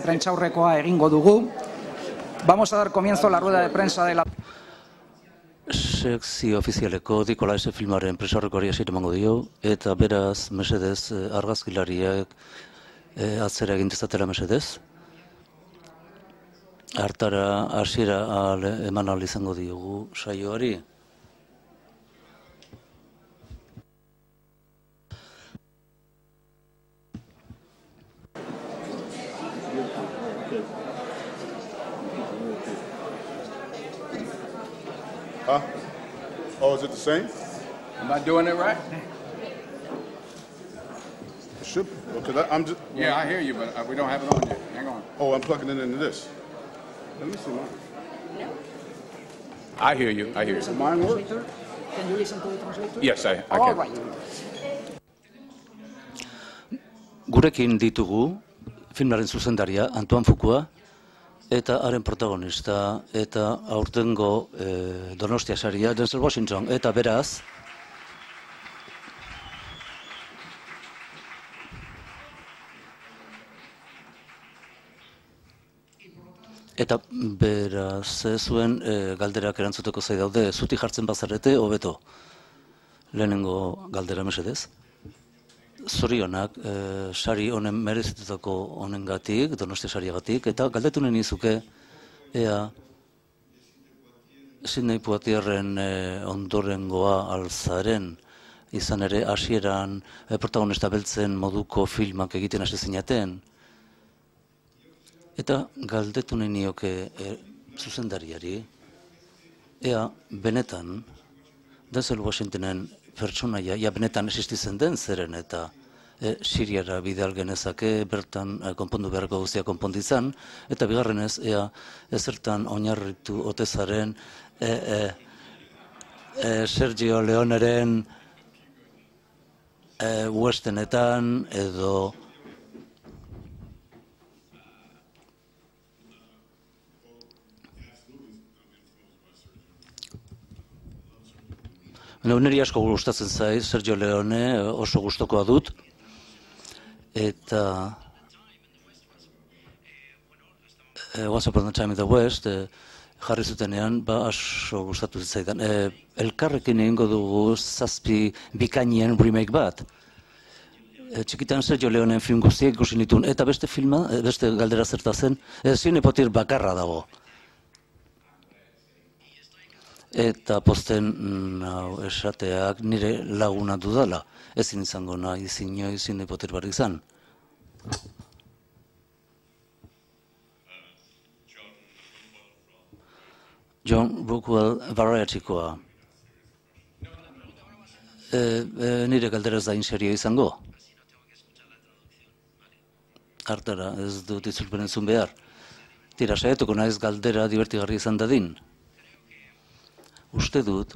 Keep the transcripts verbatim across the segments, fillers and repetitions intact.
prentsaurrekoa egingo dugu. Vamos a dar comienzo a la rueda de prensa de la... Sekzio ofizialeko Nikolaisen filmaren prentsaurrekoari hasiera emango dio, eta beraz, mesedez, argazkilariak atzera egin dezatela mesedez. Hartara hasiera eman ahal izango diogu saioari. Huh? Oh, is it the same? Am I doing it right? It should be. Okay, I'm just. Yeah, I hear you, but we don't have it on yet. Hang on. Oh, I'm plugging it into this. Let me see mine. I hear you. I hear you. Mine works. Can you listen to the translator? Yes, I, I All can. right. Gurekin ditugu filmaren zuzendaria Antoine Fuqua eta haren protagonista eta aurtengo eh, Donostia saria Denzel Washington, eta beraz eta beraz zuen eh, galderak erantzuteko zai daude, zuti jartzen bazarete hobeto. Lehenengo galdera mesedez. Zorionak, eh, sari honen merezitutako honengatik, Donostia sariagatik, eta galdetu nahi nizuke ea Sidney Poitierren eh, ondorengoa alzaren, izan ere hasieran eh, protagonista beltzen moduko filmak egiten hasi zinaten. Eta galdetu nahi nioke eh, zuzendariari, ea benetan Denzel Washingtonen pertsonaia, ja benetan existitzen den zeren eta e, Siriara bidal genezake, bertan e, konpondu beharko guztia konponditzan, eta bigarrenez, ea ezertan oinarritu otezaren e, e, e, Sergio Leoneren e, westernetan edo Neri asko gustatzen zaiz, Sergio Leone oso gustokoa dut, eta e, Once Upon a Time in the West e, jarri zutenean, ba aso gustatu zitzaidan. E, elkarrekin egingo dugu zazpi bikainien remake bat. E, txikitan Sergio Leoneen film guztiak ikusi nituen, eta beste filma, beste galdera zerta zen, e, Sidney Poitier bakarra dago. Eta posten nau esateak nire laguna dudala. Ezin izango nahi zinoi Sidney Poitier bar izan. John Rockwell Variety-koa. E, e, nire galdera ez da inserio izango. Hartara, ez dut itzulpen entzun behar. Tira, saietuko naiz galdera divertigarri izan dadin. Uste dut,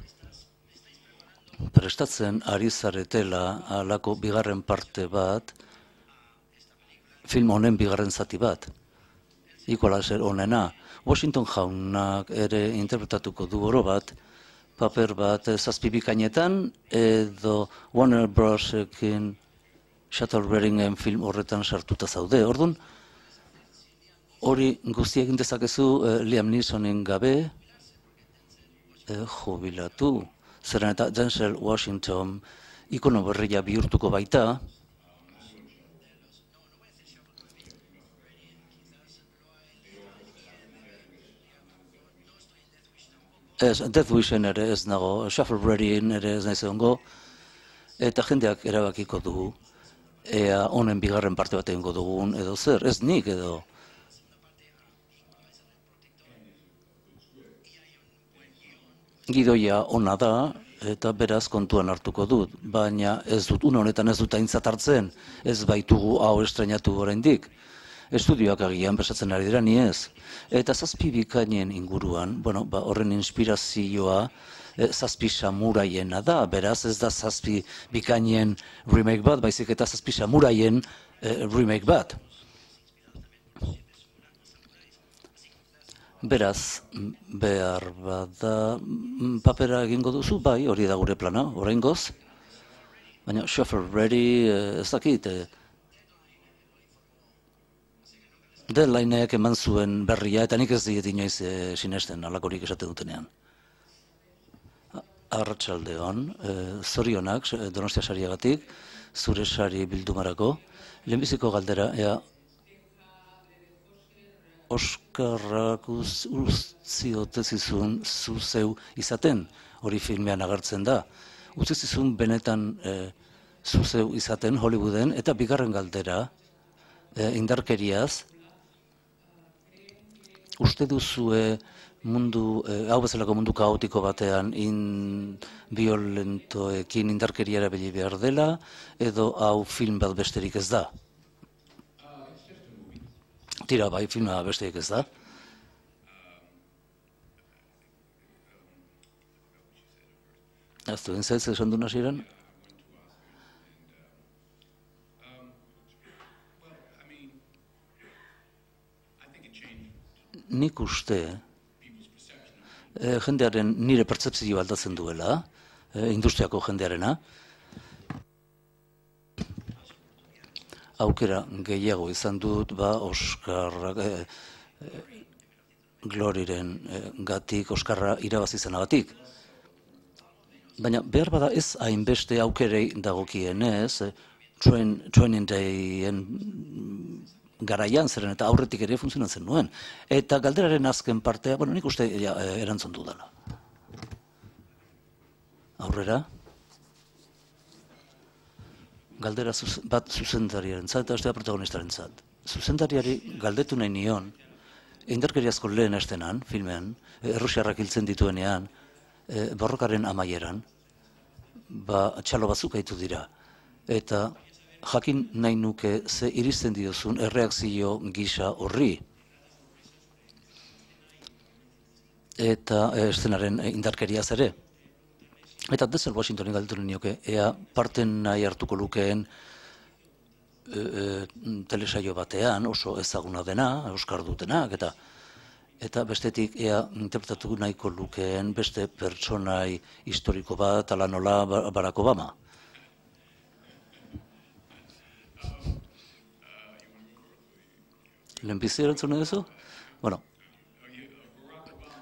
prestatzen ari zaretela halako bigarren parte bat, film honen bigarren zati bat. Equalizer honena, Washington jaunak ere interpretatuko du oro bat, paper bat zazpi bikainetan, edo Warner Brosekin Shuttleberryen film horretan sartuta zaude. Orduan, hori guzti egin dezakezu eh, Liam Neesonen gabe, E, jubilatu, zeren eta Denzel Washington ikono berria bihurtuko baita, ez, Death Wishen ere ez nago, Shuffle-Breedyn ere ez naiz egongo, eta jendeak erabakiko dugu, ea honen bigarren parte bat egingo dugun, edo zer, ez nik edo. Gidoia ona da, eta beraz kontuan hartuko dut, baina ez dut, une honetan ez dut aintzat hartzen, ez baitugu hau estrenatu oraindik. Estudioak agian besatzen ari dira ni ez. Eta zazpi bikainen inguruan, bueno, ba, horren inspirazioa e, zazpi samuraiena da, beraz ez da zazpi bikainen remake bat, baizik eta zazpi samuraien e, remake bat. Beraz, behar bada papera egingo duzu, bai, hori da gure plana, oraingoz. Baina Shuffle Ready, ez dakit, Deadlineek eman zuen berria, eta nik ez diet inoiz e, sinesten, alakorik esaten dutenean. Arratsaldeon, e, zorionak Donostia sariagatik, zure sari bildumarako, lehenbiziko galdera, ea Oskarrak utzi ote zizun zu zeu izaten, hori filmean agertzen da. Utzi zizun benetan e, zu zeu izaten Hollywooden, eta bigarren galdera, e, indarkeriaz, uste duzue mundu, e, hau bezalako mundu kaotiko batean in violentoekin indarkeria erabili behar dela, edo hau film bat besterik ez da? Tira, bai, filma besterik ez da. Aztu, entzaiz esan du hasieran? Nik uste, eh, jendearen nire pertzepzio aldatzen duela, eh, industriako jendearena, aukera gehiago izan dut, ba, Oskarrak, eh, eh, Gloriren eh, gatik, Oskarra irabazi zenagatik. Baina behar bada ez hainbeste aukerei dagokienez, eh, train, training dayen garaian zeren eta aurretik ere funtzionatzen nuen. Eta galderaren azken partea, bueno, nik uste ja, erantzun dudala. Aurrera? Galdera zuz, bat zuzendariaren zat, eta bestea protagonistaren zat. Zuzendariari galdetu nahi nion, indarkeriazko lehen estenan, filmean, errusiarrak hiltzen dituenean, e, borrokaren amaieran, ba, txalo batzuk haitu dira. Eta jakin nahi nuke ze iristen diozun erreakzio gisa horri. Eta e, estenaren indarkeriaz ere. Eta Denzel Washingtonen galdetu nioke, ea parten nahi hartuko lukeen e, e, telesaio batean, oso ezaguna dena, Oskar dutenak, eta eta bestetik ea interpretatu nahiko lukeen beste pertsonai historiko bat, ala nola Barack Obama. Lehenbizi erantzun duzu? Bueno,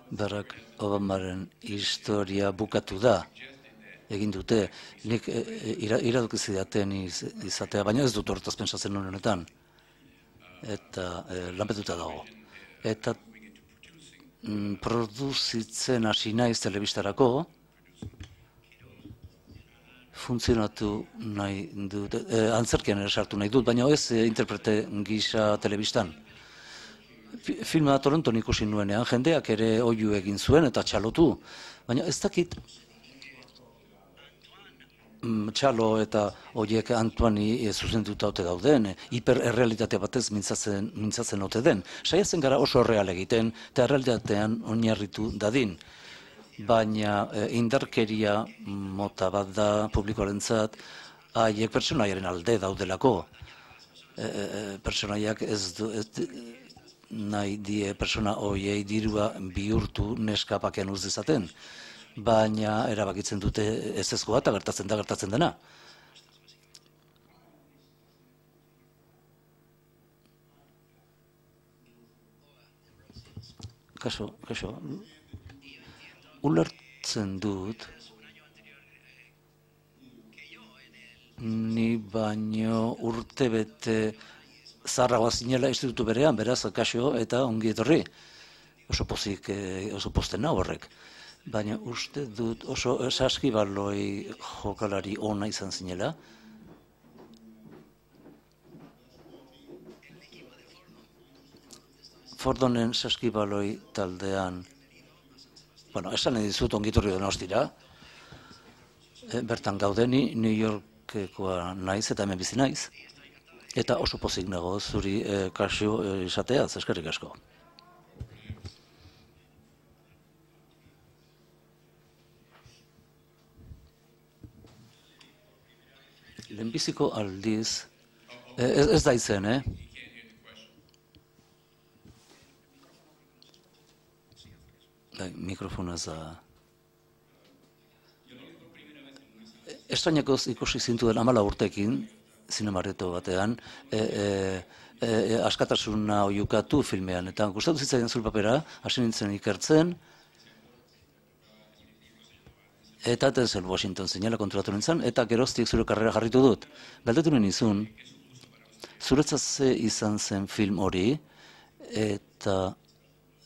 Barack Obamaren historia bukatu da, egin dute, nik e, iradoki zidaten iz, izatea, baina ez dut horretaz pentsatzen honetan, eta e, lanpetuta dago. Eta mm, produzitzen hasi naiz telebistarako, funtzionatu nahi dut, e, antzerkian ere sartu nahi dut, baina ez e, interprete gisa telebistan. Filma Toronton ikusi nuenean, jendeak ere oihu egin zuen eta txalotu, baina ez dakit txalo eta horiek Antoini zuzenduta ote dauden, hipererrealitate batez mintzatzen, mintzatzen ote den. Saiatzen gara oso real egiten eta errealitatean oinarritu dadin. Baina e, indarkeria mota bat da publikoarentzat, haiek pertsonaiaren alde daudelako. E, e, pertsonaiak ez du... Ez, nahi die persona horiei dirua bihurtu neska pakean uz dezaten, baina erabakitzen dute ezezkoa eta gertatzen da gertatzen dena. Kaso, kaso, ulertzen dut, ni baino urtebete zarragoa zinela institutu berean, beraz, kasio eta ongi etorri. Oso pozik, oso posten nau horrek. Baina uste dut oso saskibaloi jokalari ona izan zinela. Fordonen saskibaloi taldean, bueno, esan nahi dizut ongi etorri Donostira, bertan gaudeni, New Yorkekoa naiz eta hemen bizi naiz. Eta oso pozik nago zuri e, kasio e, izateaz, eskerrik asko. Lehenbiziko aldiz, e, ez, ez da izen, eh? Bai, mikrofona ez da... Estrainakoz ikusi zintuen amala urtekin, zinemareto batean, e, e, e, askatasuna oiukatu filmean. Eta gustatu zitzaidan zure papera, hasi nintzen ikertzen, eta Denzel Washington zinela konturatu nintzen, eta geroztik zure karrera jarritu dut. Galdetu nizun, zuretzat ze izan zen film hori, eta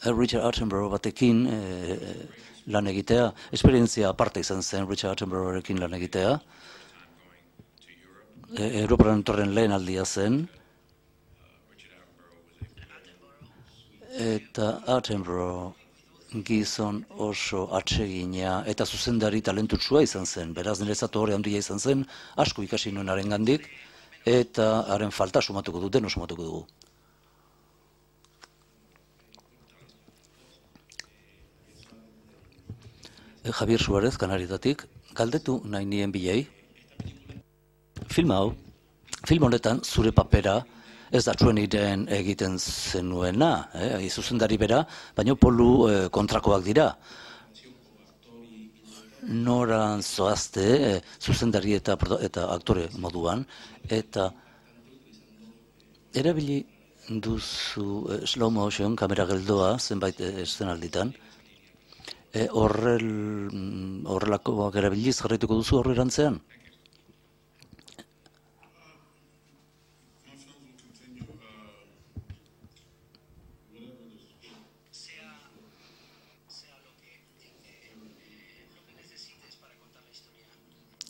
Richard Attenborough batekin e, lan egitea, esperientzia aparte izan zen Richard Attenboroughrekin lan egitea, e, Europaren torren lehen aldia zen, eta Attenborough gizon oso atsegina eta zuzendari talentutsua izan zen, beraz niretzat hori handia izan zen, asko ikasi nuen haren gandik, eta haren falta sumatuko dut, deno sumatuko dugu. Javier Suarez, Kanarietatik, galdetu nahi nien bilei. Film hau, film honetan zure papera ez da zuen ideen egiten zenuena, eh, zuzendari bera, baina polu eh, kontrakoak dira. Noran zoazte, eh, zuzendari eta, eta aktore moduan, eta erabili duzu eh, slow motion, kamera geldoa, zenbait eszenalditan, E, horrel, horrelakoak erabiliz jarraituko duzu horrerantzean?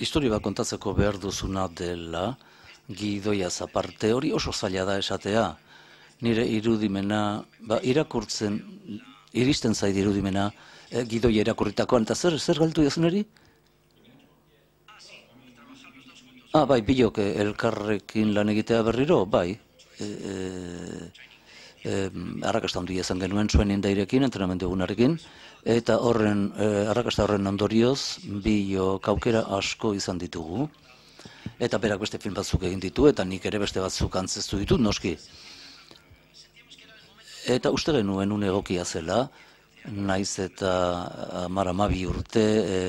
Historia bat kontatzeko behar duzuna dela, gidoiaz aparte, hori oso zaila da esatea. Nire irudimena, ba, irakurtzen, iristen zait irudimena, Eh, gidoia irakurritakoan, eta zer, zer galtu jazuneri? Ah, bai, bilok elkarrekin lan egitea berriro, bai. E, e, e, arrakasta handia izan genuen zuen indairekin, entrenamendu egunarekin, eta horren, e, arrakasta horren ondorioz, bilok aukera asko izan ditugu, eta berak beste film batzuk egin ditu, eta nik ere beste batzuk antzestu ditut, noski. Eta uste genuen une egokia zela, naiz eta hamar hamabi urte e,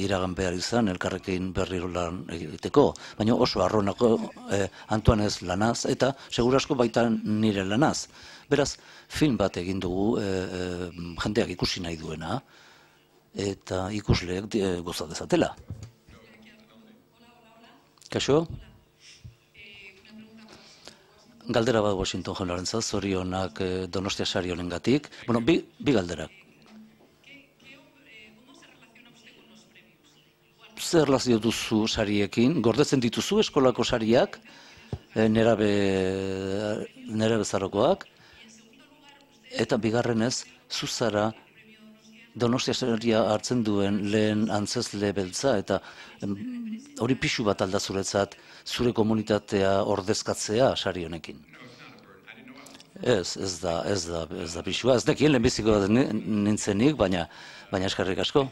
iragan behar izan, elkarrekin berriro lan egiteko, baina oso arronako e, Antoanez lanaz, eta segurasko baita nire lanaz. Beraz, film bat egin dugu e, e, jendeak ikusi nahi duena, eta ikusleek e, goza dezatela. Kaixo? Galdera bat Washington jaunarentzat, zorionak eh, Donostia sari honengatik. Bueno, bi, bi galderak. Zer erlazio duzu sariekin? Gordetzen dituzu eskolako sariak, eh, nerabe, nerabe zarokoak, eta bigarrenez, zuzara Donostia saria hartzen duen lehen antzezle beltza, eta hori pixu bat alda zuretzat, zure komunitatea ordezkatzea sari honekin. Ez, ez da, ez da, ez da pixua. Ez dekien lehenbiziko nintzenik, baina, baina eskarrik asko.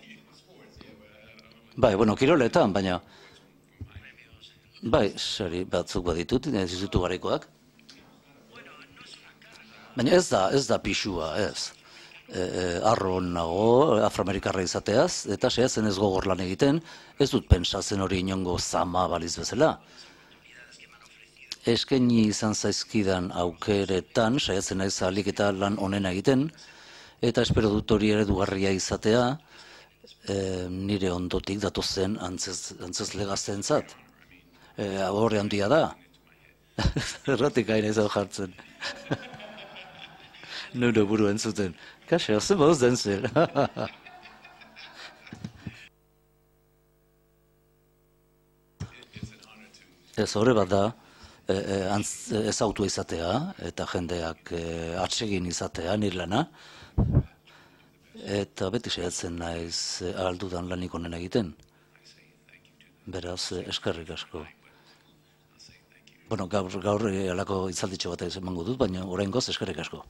Bai, bueno, kiroletan, baina, bai, sari batzuk baditut, ez dizutu garaikoak. Baina ez da, ez da pixua, ez. E, e, arron nago, afroamerikarra izateaz, eta saiatzen ez gogor lan egiten, ez dut pentsatzen hori inongo zama baliz bezala. Eskaini izan zaizkidan aukeretan, saiatzen naiz ahalik eta lan onena egiten, eta espero dut hori eredugarria izatea, e, nire ondotik datozen antzez, antzezle gazteentzat. E, horre handia da. Erratik hain izan jartzen. Nure buru entzuten. Kaixo, ze moduz den zer. Ez horre bat da, ezautua izatea, eta jendeak atsegin izatea, nire lana, eta beti saiatzen naiz ahaldudan lanik honen egiten. Beraz, eskerrik asko. Bueno, gaur, gaur alako itzalditxo bat emango dut, baina oraingoz eskerrik asko.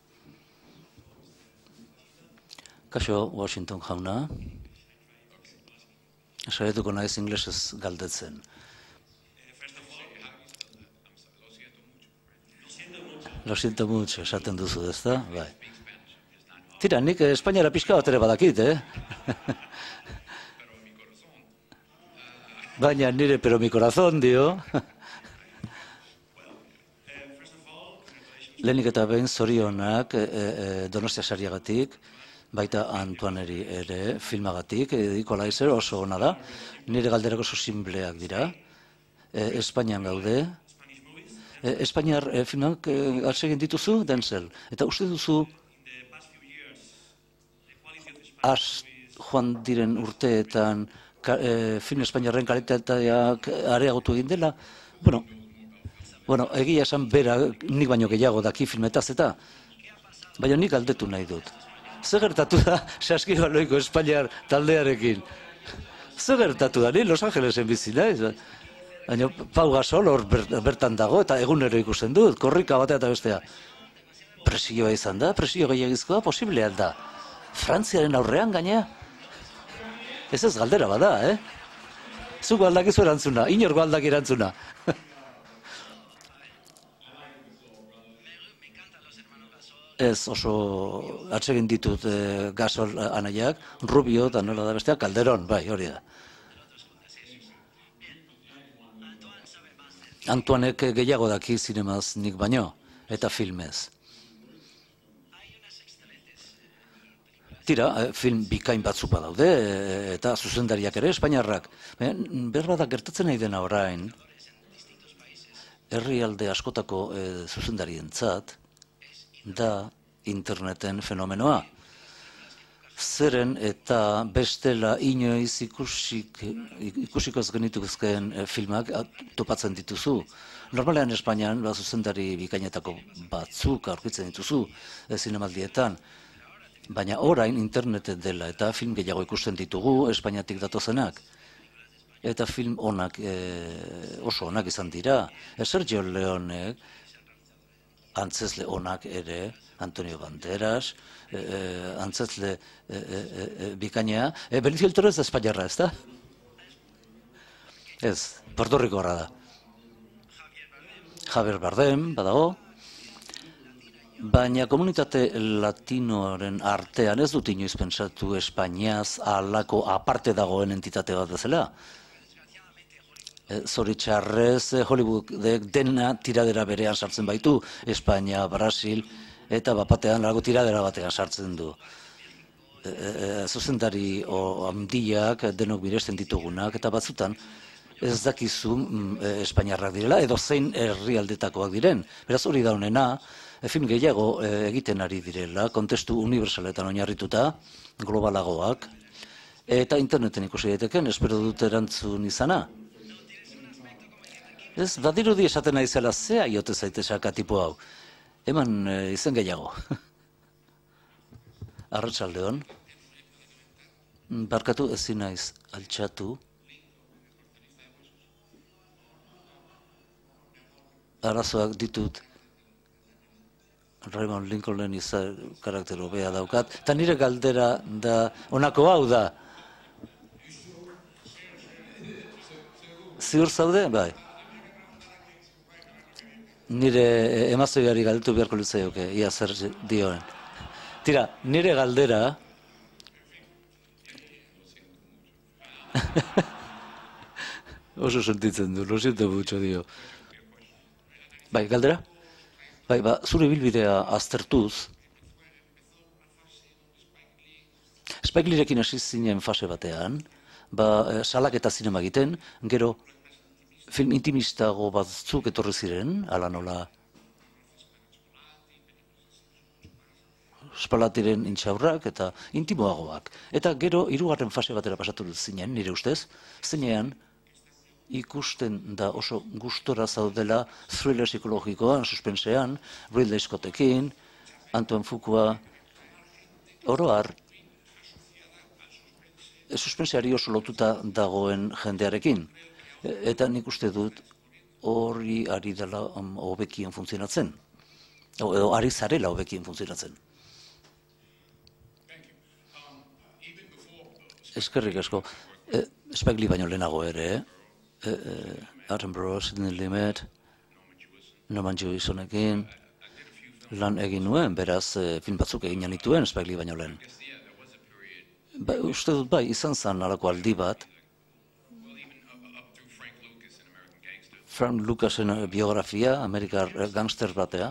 Kaixo, Washington jauna. Saiatuko naiz inglesez galdetzen. Lo siento mucho, esaten duzu, ezta? Bai. Tira, nik Espainiara pixka bat ere badakit, eh? Baina nire pero mi corazón, dio. lehenik eta behin zorionak e, e, Donostia sariagatik, baita Antoineri ere filmagatik, e, Equalizer oso ona da, nire galderako oso sinpleak dira, e, Espainian gaude, e, Espainiar e, filmak e, atsegin dituzu, Denzel, eta uste duzu az joan diren urteetan ka, e, film espainiarren kalitateak areagotu egin dela, bueno, bueno, egia esan bera nik baino gehiago daki filmetaz eta, baina nik galdetu nahi dut. Zer gertatu da Saskibaloiko Espainiar taldearekin? Zer gertatu da, ni Los Angelesen bizi naiz? Baina Pau Gasol hor bertan dago eta egunero ikusten dut, korrika batea eta bestea. Presioa izan da, presio gehiagizkoa posiblea da. Frantziaren aurrean gainea? Ez ez galdera bada, eh? Zuko aldakizu erantzuna, inorko aldaki erantzuna. Ez oso atsegin ditut e, Gasol anaiak, Rubio eta nola da besteak, Calderón, bai, hori da. Antoinek gehiago daki zinemaz nik baino, eta filmez. Tira, film bikain batzuk badaude, eta zuzendariak ere, Espainiarrak. Berba da gertatzen nahi dena orain, herrialde askotako e, zuzendarientzat, da interneten fenomenoa. Zeren eta bestela inoiz ikusik, ikusiko ez genituzkeen filmak topatzen dituzu. Normalean Espainian, ba, zuzendari bikainetako batzuk aurkitzen dituzu zinemaldietan, baina orain internetet dela eta film gehiago ikusten ditugu Espainiatik datozenak. Eta film onak, e, oso onak izan dira. Sergio Leonek, antzezle onak ere, Antonio Banderas, e, antzezle e, e, e, bikainea, e, Benicio del Toro ez da Espainiarra, ez da? Ez, Puerto Ricorra da. Javier Bardem, badago, baina komunitate latinoaren artean ez dut inoiz pentsatu Espainiaz halako aparte dagoen entitate bat bezala. Zoritxarrez, Hollywoodek dena tiradera berean sartzen baitu, Espainia, Brasil, eta bapatean lago tiradera batean sartzen du. E, e, zuzendari handiak, denok biresten ditugunak, eta batzutan ez dakizu e, Espainiarrak direla, edo zein herrialdetakoak diren. Beraz hori da honena, e, film gehiago e, egiten ari direla, kontestu universaletan oinarrituta, globalagoak, eta interneten ikusi daiteken, espero dut erantzun izana. Ez, badirudi esaten nahi zela zea iote zaitezaka tipo hau. Eman e, izen gehiago. Arratsaldeon. Barkatu ezin naiz altxatu. Arazoak ditut. Raymond Lincolnen izan karakter hobea daukat. Eta nire galdera da, honako hau da. Ziur zaude? Bai. Nire emaztoiari galdetu beharko litzaioke, ia zer dioen. Tira, nire galdera... Oso sentitzen du, lo siento mucho, dio. Bai, galdera? Bai, ba, zure bilbidea aztertuz, Spike Leerekin hasi zinen fase batean, ba, salak eta zinema egiten, gero film intimistago batzuk etorri ziren, ala nola Spalatiren intxaurrak eta intimoagoak. Eta gero hirugarren fase batera pasatu zinen, nire ustez, zeinean ikusten da oso gustora zaudela thriller psikologikoan, suspensean, Ridley Scottekin, Antoine Fuqua, oro har, suspenseari oso lotuta dagoen jendearekin. Eta nik uste dut hori ari dela hobekien funtzionatzen. Edo ari zarela hobekien funtzionatzen. Eskerrik asko. Spike Lee baino lehenago ere, Attenborough, Sidney Lumet, Norman Jewissonekin lan egin nuen, beraz film batzuk egin nituen Spike Lee baino lehen. Uste dut bai, izan zen alako aldi bat, Frank Lucasen biografia, Amerikar gangster batea,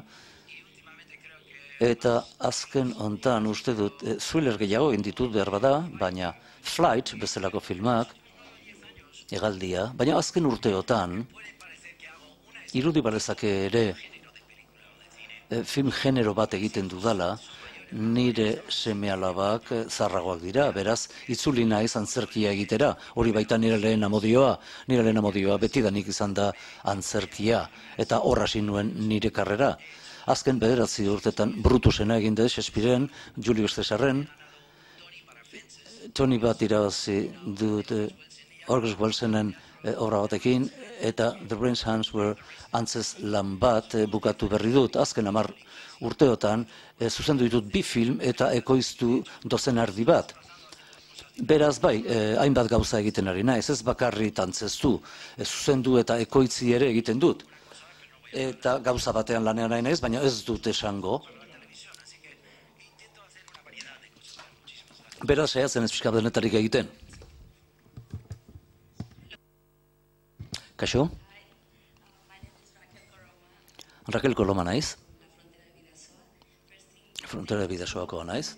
Eta azken hontan uste dut, e, thriller gehiago egin ditut behar bada, baina Flight bezalako filmak, hegaldia, baina azken urteotan, irudi balezake ere e, film genero bat egiten dudala, nire seme-alabak zarragoak dira, beraz, itzuli naiz antzerkia egitera, hori baita nire lehen amodioa, nire lehen amodioa betidanik izan da antzerkia, eta horra hasi nuen nire karrera. Azken bederatzi urtetan Brutusena egin dut, Shakespearen, Julius Caesarren, Tony bat irabazi dut August Wilsonen obra batekin, eta The Brains Hands Were antzez lan bat bukatu berri dut. Azken hamar urteotan zuzendu ditut bi film eta ekoiztu dozen erdi bat. Beraz bai, hainbat gauza egiten ari naiz, ez bakarrit antzeztu, zuzendu eta ekoitzi ere egiten dut. Eta gauza batean lanean nahi naiz, baina ez dut esango. Beraz, saiatzen ez pixka denetarik egiten. Kaixo? Raquel Coloma naiz. Frontera de Bidasoakoa naiz.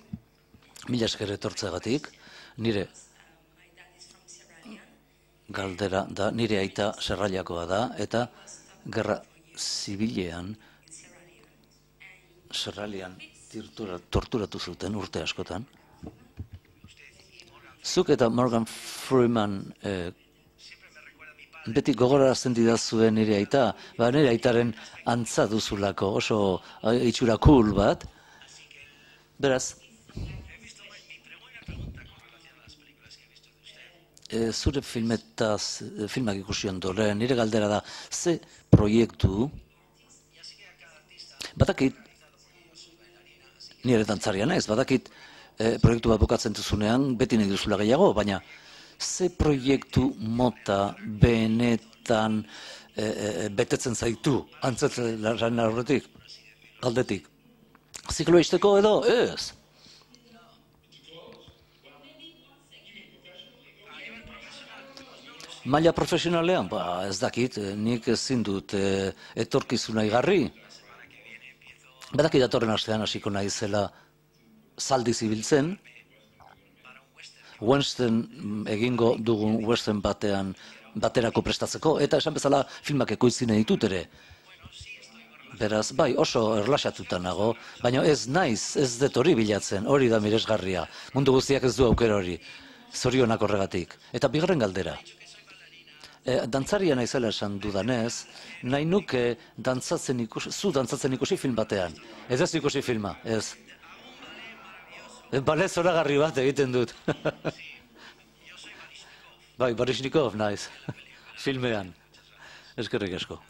Mila esker etortzeagatik. Nire galdera da, nire aita Serrailakoa da, eta gerra zibilean Serralian torturatu zuten urte askotan. Zuk eta Morgan Freeman eh, beti gogorarazten didazuen nire aita, ba, nire aitaren antza duzulako, oso itxura cool bat. Beraz, e, zure filmetaz, filmak ikusi ondoren, nire galdera da, ze proiektu, badakit, nire dantzaria naiz, badakit, e, proiektu bat bukatzen duzunean, beti nahi duzula gehiago, baina, ze proiektu mota benetan e, e, betetzen zaitu, antzetzen laren horretik, aldetik. Zikloa izteko edo, ez. Maila profesionalean, ba, ez dakit, nik ezin dut e, etorkizuna igarri. Badakit datorren astean hasiko naizela zaldi zibiltzen, western egingo dugun western batean baterako prestatzeko, eta esan bezala filmak ekoiztzen ditut ere. Beraz, bai, oso erlaxatuta nago, baina ez naiz, ez dut hori bilatzen, hori da miresgarria. Mundu guztiak ez du aukera hori, zorionak horregatik. Eta bigarren galdera. E, dantzaria naizela esan dudanez, nahi nuke dantzatzen ikusi, zu dantzatzen ikusi film batean. Ez ez ikusi filma, ez. E, balez zoragarri bat egiten dut. Bai, Baryshnikov naiz, filmean. Eskerrik asko.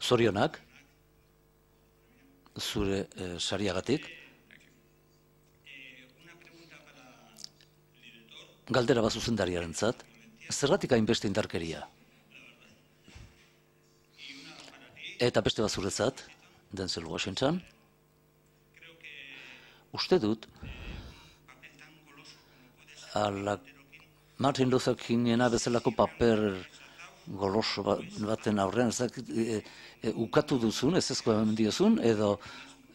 Zorionak, zure e, sariagatik. Galdera bat zuzendariarentzat, zergatik hainbeste indarkeria? Eta beste bat zuretzat, Denzel Washington, uste dut, ala Martin Luther Kingena bezalako paper goloso baten aurrean, e, e, ukatu duzun, ez ezko hemen diozun, edo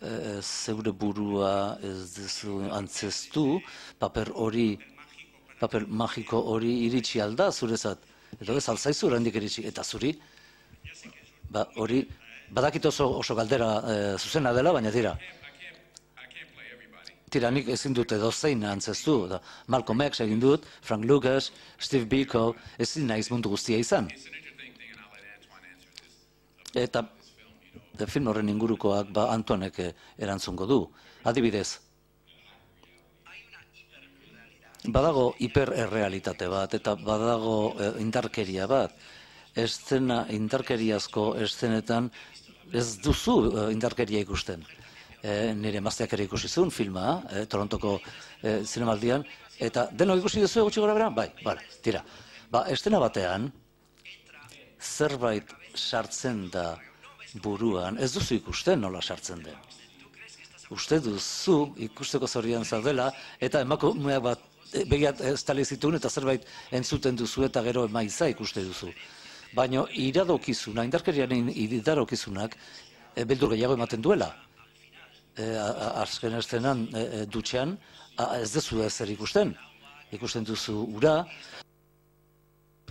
e, zeure burua ez duzu antzestu, paper hori, paper magiko hori iritsi alda zurezat, edo ez alzaizu handik iritsi, eta zuri, ba, hori, badakit oso, oso galdera e, zuzena dela, baina tira, tira nik ezin dut edo zein antzestu, da, Malcolm X egin dut, Frank Lucas, Steve Biko, ezin naiz mundu guztia izan. Eta de film horren ingurukoak ba Antonek erantzungo du. Adibidez, badago hipererrealitate bat, eta badago indarkeria bat. Eszena, indarkeriazko eszenetan ez duzu indarkeria ikusten. E, nire emazteak ere ikusi zuen filma, e, Torontoko e, zinemaldian, eta denok ikusi duzu gutxi gora bera? Bai, bale, tira. Ba, estena batean, zerbait sartzen da buruan, ez duzu ikusten nola sartzen den. Uste duzu ikusteko zorian zaudela, eta emakumeak bat begiat estali zituen, eta zerbait entzuten duzu, eta gero emaiza ikuste duzu. Baina iradokizuna, indarkeriaren iradokizunak, e, beldur gehiago ematen duela. E, azken estenan e, e, dutxean, a, ez dezu ezer ikusten. Ikusten duzu ura,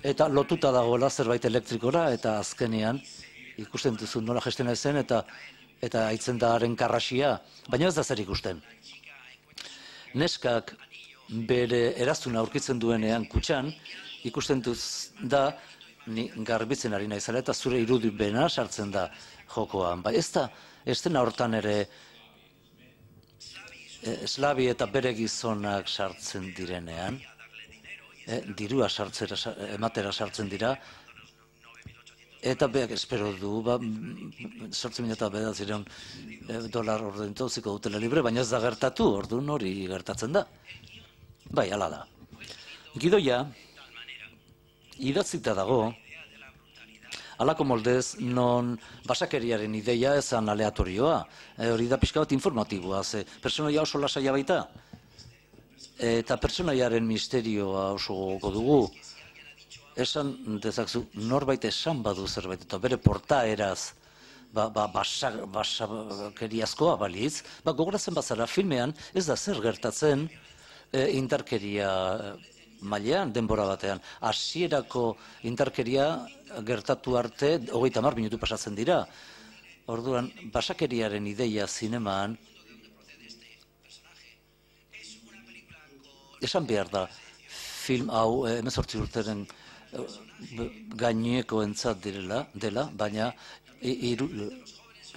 eta lotuta dagoela zerbait elektrikora, eta azkenean ikusten duzu nola gestena zen, eta eta haitzen da haren karrasia, baina ez da zer ikusten. Neskak bere eraztuna aurkitzen duenean kutxan, ikusten duz da, ni garbitzen ari naizela, eta zure irudibena sartzen da jokoan. Ba, ez da, ez dena hortan ere Slavi eta bere gizonak sartzen direnean, eh, dirua sartzera, ematera sartzen dira, eta beak espero du, ba, sortzi mila eta bederatziehun dolar ordaintziko dutela libre, baina ez da gertatu, orduan hori gertatzen da. Bai, hala da. Gidoia, idatzita dago, halako moldez, non basakeriaren ideia ezan aleatorioa, e, hori da pixka bat informatiboa, ze personaia oso lasaia baita, eta personaiaren misterioa oso gogoko dugu, esan dezakzu norbait esan badu zerbait, eta bere portaeraz ba, ba, basakeriazkoa balitz, ba, gogoratzen bazara filmean ez da zer gertatzen e, indarkeria mailean, denbora batean. Hasierako indarkeria gertatu arte hogeita hamar minutu pasatzen dira. Orduan, basakeriaren ideia zinemaan esan behar da film hau hemezortzi urteren gaineko entzat direla, dela, baina iru,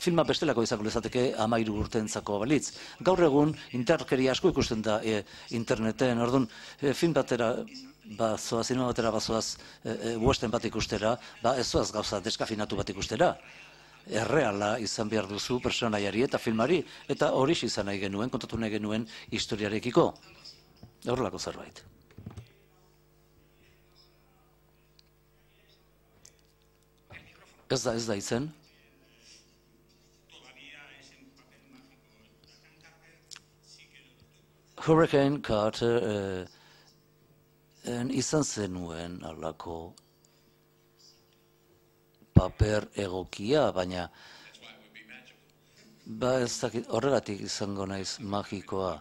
filma bestelako izango lezateke hamairu urteentzako balitz. Gaur egun indarkeria asko ikusten da e, interneten, orduan e, film batera bazoaz, zinema batera bazoaz e, e, western bat ikustera, ba ez zoaz gauza deskafinatu bat ikustera. Erreala izan behar duzu personaiari eta filmari, eta hori izan nahi genuen, kontatu nahi genuen historiarekiko. Horrelako zerbait. Ez da, ez da izen. Hurricane Carter eh, en izan zenuen alako paper egokia, baina ba ez dakit, horregatik izango naiz magikoa.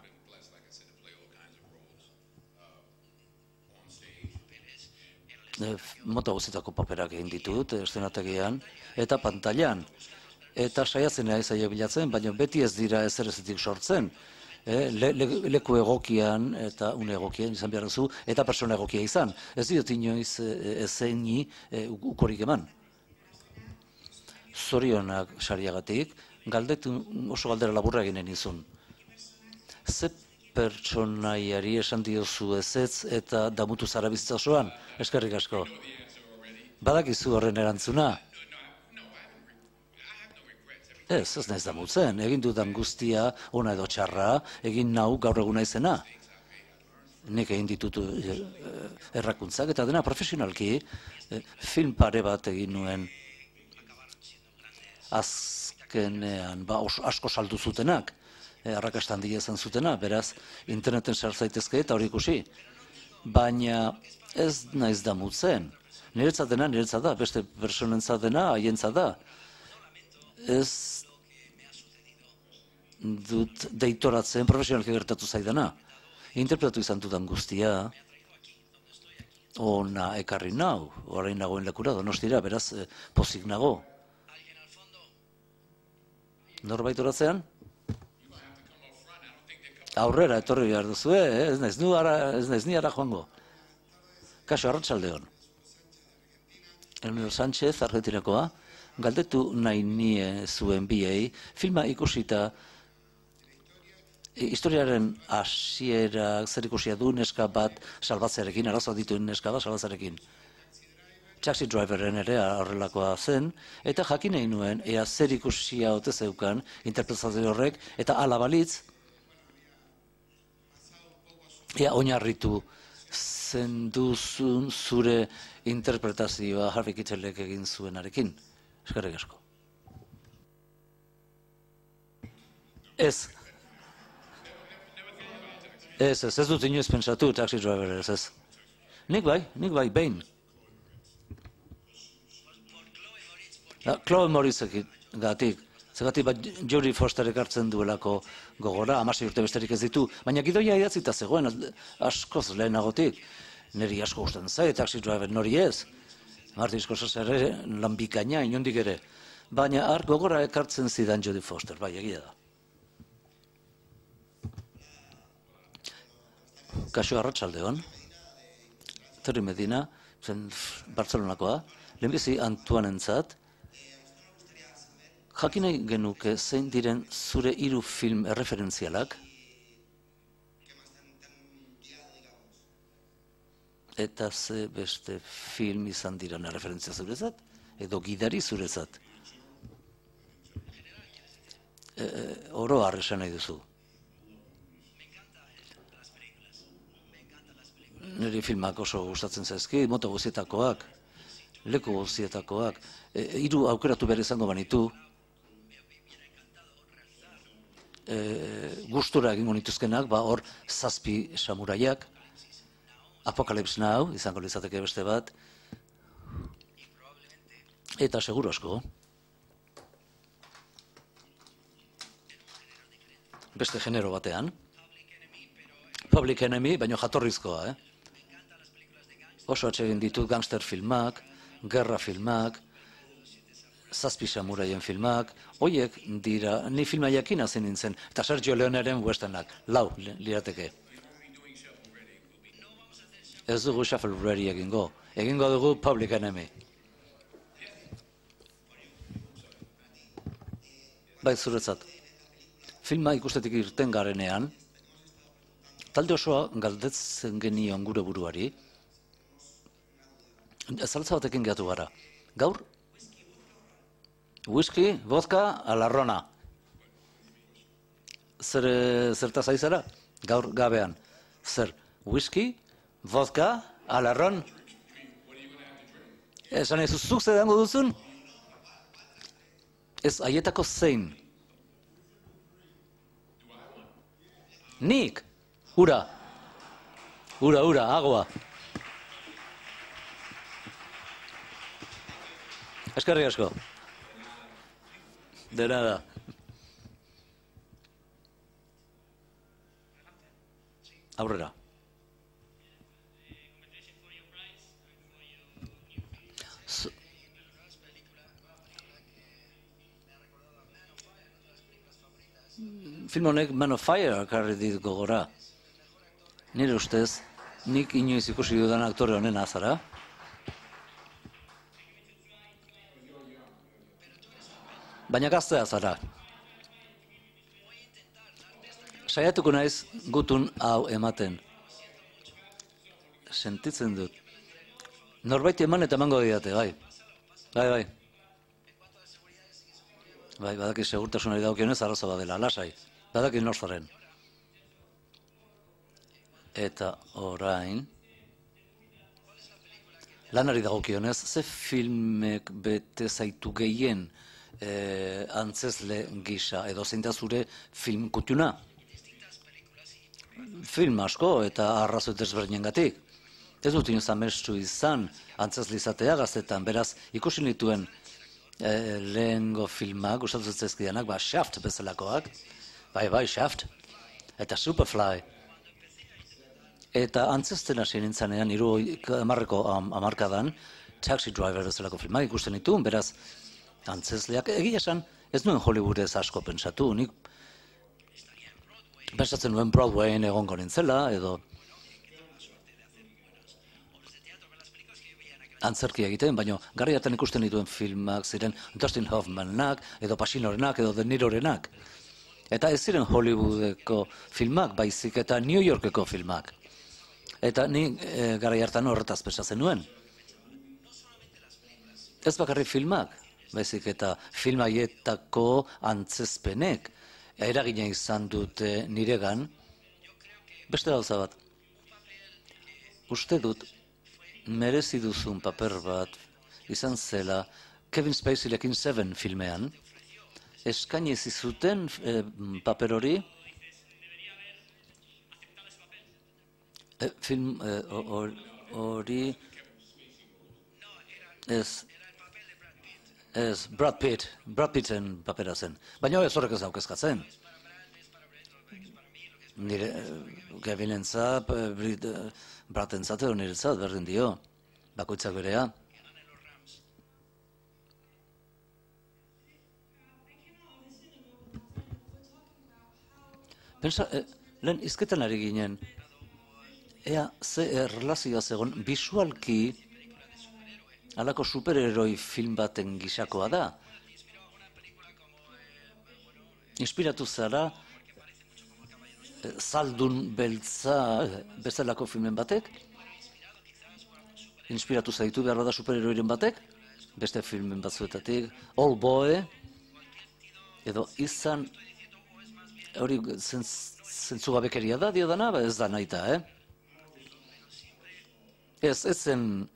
Mota guztietako paperak egin ditut, eszenategian, eta pantailan. Eta saiatzen naiz aia bilatzen, baina beti ez dira ezer ezetik sortzen. E, le, le, leku egokian eta une egokian izan behar duzu, eta persona egokia izan. Ez diot inoiz ezeini e, ukorik eman. Zorionak sariagatik, galdetu oso galdera laburra eginen izun. Ze pertsonaiari esan diozu ezetz eta damutu zara bizitza osoan? Eskerrik asko. Badakizu horren erantzuna? Ez, ez naiz damutzen. Egin dudan guztia, ona edo txarra, egin nau gaur eguna izena. Nik egin ditutu errakuntzak, eta dena profesionalki, film pare bat egin nuen azkenean, ba, asko saldu zutenak. Arrakasta handia izan zutena, beraz, interneten sartzaitezke eta hori ikusi. Baina ez naiz damutzen. Niretzat dena, niretzat da, beste personentzat dena, haientzat da. Ez dut deitoratzen profesionalki gertatu zaidana. Interpretatu izan dudan guztia, ona ekarri nau, orain nagoen lekura, Donostira, beraz, pozik nago. Norbait oratzean? Aurrera, etorri behar duzu, eh? ez naiz nu ara, ez naiz ni ara joango. Kaso, arratsaldeon. Elmiro Sánchez, Argentinakoa, galdetu nahi nie zuen biei, filma ikusita, historiaren hasiera zer ikusia du neska bat salbatzearekin, arazoa dituen neska bat salbatzearekin. Taxi Driveren ere horrelakoa zen, eta jakin nahi nuen, ea zer ikusia ote zeukan, interpretazio horrek, eta ala balitz, ea oinarritu zenduzun zure interpretazioa Harvey Keitelek egin zuenarekin. Eskerrik asko. Ez. Ez, ez, ez dut inoiz pentsatu Taxi Driver, ez, ez. Nik bai, nik bai, behin. Chloe Moritzekin gatik, Zergatik bat Jodie Fosterek hartzen duelako gogora, hamasei urte besterik ez ditu, baina gidoia idatzita zegoen, askoz lehenagotik. Neri asko gustatzen zait, Taxi Driver nori ez. Martin Scorsese ere lan bikaina, inondik ere. Baina har gogora ekartzen zidan Jodie Foster, bai, egia da. Kaixo arratsaldeon. Terry Medina, zen Bartzelonakoa, lehenbizi Antoinentzat, jakin nahi genuke zein diren zure hiru film erreferentzialak? Eta ze beste film izan diren erreferentzia zurezat? Edo gidari zurezat? E, oro har esan nahi duzu. Niri filmak oso gustatzen zaizki, moto guzietakoak, leku guzietakoak, e, hiru aukeratu behar izango banitu, e, gustura egingo nituzkenak, ba hor zazpi samuraiak, Apocalypse Now, izango litzateke beste bat, eta seguru asko, beste genero batean, Public Enemy, baino jatorrizkoa, eh? Oso atsegin ditut gangster filmak, gerra filmak, zazpi samuraien filmak, hoiek dira, ni filma jakin hasi nintzen, eta Sergio Leonearen westernak, lau lirateke. Ez dugu Shuffle Ready egingo, egingo dugu Public Enemy. Bai, zuretzat, filma ikustetik irten garenean, talde osoa galdetzen genion gure buruari, zaltza batekin gehatu gara. Gaur, whisky, vodka, alarrona. Zer, zertaz aizara? Gaur gabean. Zer, whisky, vodka, alarron? Esan ez zuzuk zedango duzun? Ez, haietako zein? Nik? Ura. Ura, ura, agua. Eskerrik asko. De nada. Aurrera. So, film honek Man of Fire karri dit gogora. Nire ustez, nik inoiz ikusi dudan aktore honen azara. Baina gaztea zara. Saiatuko naiz gutun hau ematen. Sentitzen dut. Norbaiti eman eta emango didate, bai. Bai, bai. Bai, badaki segurtasunari daukionez arrazo badela, lasai. Badaki norzaren. Eta orain, lanari dagokionez, ze filmek bete zaitu gehien eh, antzezle gisa, edo zein da zure film kutuna? Film asko eta arrazoi desberdinengatik. Ez dut inoz amestu izan antzezle izatea gaztetan, beraz ikusi nituen eh, lehengo filmak, gustatu zaizkidanak, ba, Shaft bezalakoak, bai, bai, Shaft, eta Superfly. Eta antzezten hasi nintzanean, hiru hamarreko hamarkadan, Taxi Driver bezalako filmak ikusten dituen, beraz, antzezleak, egia esan, ez nuen Hollywoodez asko pentsatu, nik pentsatzen nuen Broadwayen egongo nintzela, edo antzerkia egiten, baina garri hartan ikusten dituen filmak ziren Dustin Hoffmanak, edo Pacinorenak, edo De Nirorenak. Eta ez ziren Hollywoodeko filmak, baizik eta New Yorkeko filmak. Eta ni e, garai hartan horretaz pentsatzen nuen. Ez bakarrik filmak, baizik eta film haietako antzezpenek eragina izan dute niregan. Beste gauza bat. Uste dut merezi duzun paper bat izan zela Kevin Spaceyrekin Seven filmean. Eskaini zizuten e, paper hori. E, film hori e, ez Ez, Brad Pitt, Brad Pitten papera zen. Baina ez horrek ez daukezkatzen. Nire, Kevinentzat, Bradentzat edo niretzat, berdin dio. Bakoitzak berea. Pensa, eh, lehen izketan ari ginen, ea ze erlazioa zegoen, bisualki halako superheroi film baten gisakoa da. Inspiratu zara, eh, Zaldun beltza bezalako filmen batek? Inspiratu zaitu behar da superheroiren batek? Beste filmen batzuetatik, Old Boy, edo izan hori zentzugabekeria da, dio dana, ez da nahita, eh? Ez, ez zen,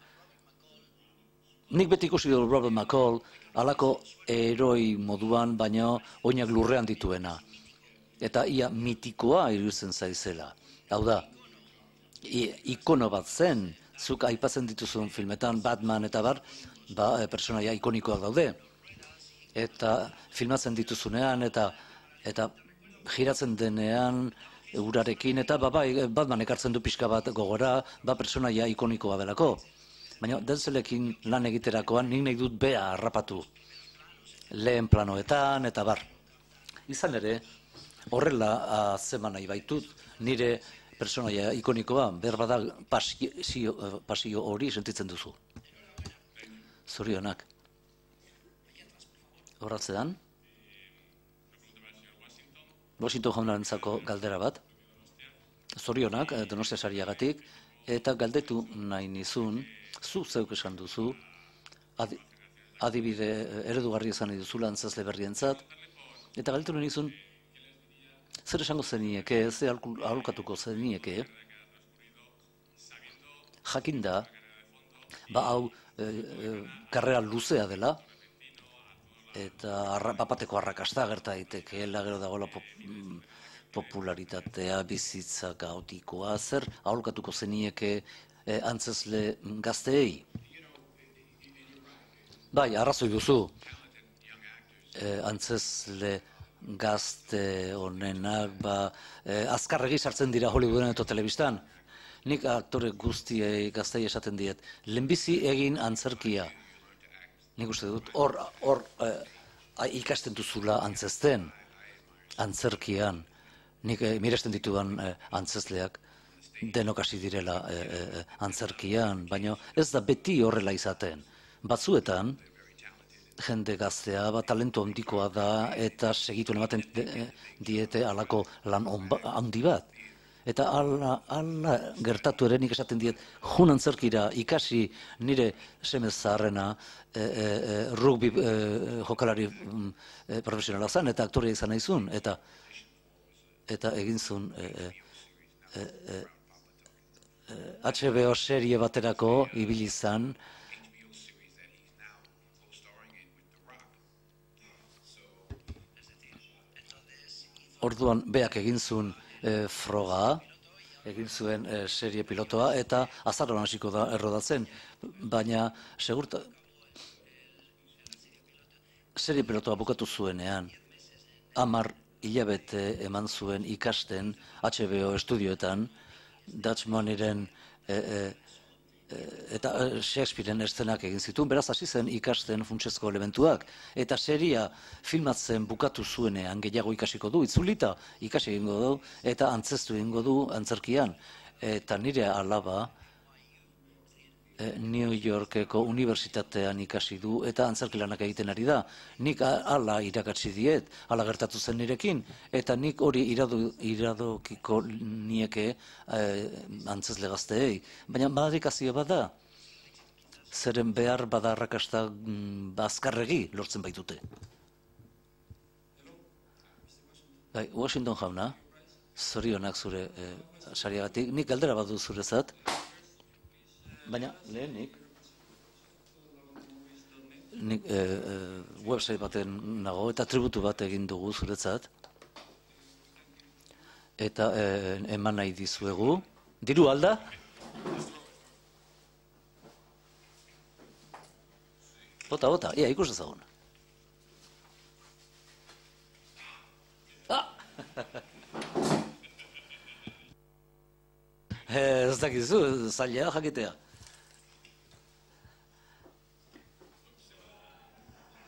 nik beti ikusi du Robert McCall, halako heroi moduan, baina oinak lurrean dituena. Eta ia mitikoa iruditzen zaizela. Hau da, ikono bat zen, zuk aipatzen dituzun filmetan, Batman eta bar, ba, personaia ikonikoak daude. Eta filmatzen dituzunean, eta eta giratzen denean urarekin, eta ba, bai, Batman ekartzen du pixka bat gogora, ba, personaia ikonikoa belako. Baina Denzelekin lan egiterakoan nik nahi dut bea harrapatu. Lehen planoetan, eta bar. Izan ere, horrela zeman nahi baitut, nire personaia ikonikoa, berbada pasio, pasio hori sentitzen duzu. Zorionak. Horratzean, Washington jaunarentzako galdera bat, zorionak Donostia sariagatik, eta galdetu nahi nizun, zu zeuk esan duzu, adi, adibide eredugarri esan nahi duzula antzazle berrientzat, eta galdetu nahi nizun, zer esango zenieke, zer aholkatuko zenieke, jakinda, ba hau e, e, karrera luzea dela, eta arra, bapateko arrakasta gerta daitekeela, gero dagoela pop, popularitatea, bizitza kaotikoa, zer aholkatuko zenieke e, antzezle gazteei? Bai, arrazoi duzu, e, antzezle gazte honenak, ba, e, azkarregi sartzen dira Hollywooden eta telebistan. Nik aktore guztiei gaztei esaten diet, lehenbizi egin antzerkia. Nik uste dut, hor, hor eh, ikasten duzula antzezten, antzerkian. Nik eh, miresten ditudan eh, antzezleak denok hasi direla eh, eh, antzerkian, baina ez da beti horrela izaten. Batzuetan, jende gaztea, ba, talentu handikoa da, eta segituen ematen diete halako lan handi bat. Eta ala, ala gertatu ere nik esaten diet, jun antzerkira ikasi nire semez zaharrena e, e, e, rugby e, jokalari e, profesionala zen, eta aktorea izan nahizun, eta eta egin zuen e, e, e, e, H B O serie baterako ibili izan, orduan beak egin zuen E, froga, egin zuen e, serie pilotoa, eta azaroan hasiko da errodatzen, baina segurta serie pilotoa bukatu zuenean, hamar hilabete eman zuen ikasten H B O estudioetan, Dutch Moneyren e, e, eta Shakespearen eszenak egin zituen, beraz hasi zen ikasten funtsezko elementuak, eta seria filmatzen bukatu zuenean gehiago ikasiko du, itzulita ikasi egingo du, eta antzeztu egingo du antzerkian. Eta nire alaba New Yorkeko unibertsitatean ikasi du, eta antzerkilanak egiten ari da. Nik hala irakatsi diet, hala gertatu zen nirekin, eta nik hori irado, iradokiko nieke eh, antzezle gazteei. Baina badikazio bat da, zeren behar bada arrakasta mm, azkarregi lortzen baitute. Bai, Washington jauna, zorionak zure eh, sariagatik, nik galdera bat du zurezat, baina lehenik, nik e, e, website baten nago eta tributu bat egin dugu zuretzat, eta e, eman nahi dizuegu. Diru alda? Bota, bota, ia, ikus ezagun. Ah! Ez dakizu, zaila jakitea.